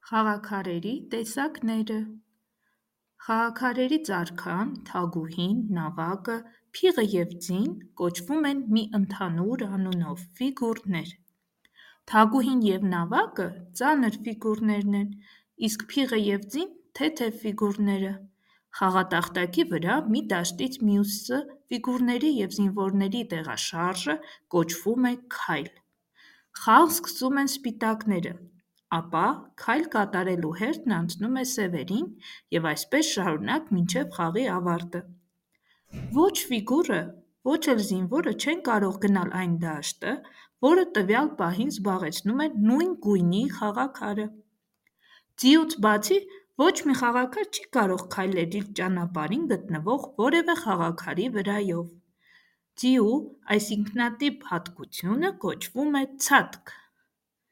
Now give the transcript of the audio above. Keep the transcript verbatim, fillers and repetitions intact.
Խաղաքարերի տեսակները։ Խաղաքարերից արքան, թագուհին, նավակը, փիղը և ձին կոչվում են մի ընդհանուր անունով՝ ֆիգուրներ։ Թագուհին և նավակը ծանր ֆիգուրներն են, իսկ փիղը և ձին՝ թեթև ֆիգուրները։ Խաղատախտակի վրա մի դաշտից մյուսը ֆիգուրների և զինվորների տեղաշարժը կոչվում է քայլ։ Խաղ սկսում են սպիտակները, ապա քայլ կատարելու հերթն անցնում է սևերին և այսպես շարունակ մինչև խաղի ավարտը։ Ոչ ֆիգուրը, ոչ էլ զինվորը չեն կարող գնալ այն դաշտը, որը տվյալ պահին զբաղեցնում է նույն գույնի խաղաքարը։ Ձիուց բացի ոչ մի խաղաքար չի կարող քայլել իր ճանապարհին գտնվող որևէ խաղաքարի վրայով։ Ձիու այս ինքնատիպ հատկությունը կոչվում է ցատկ։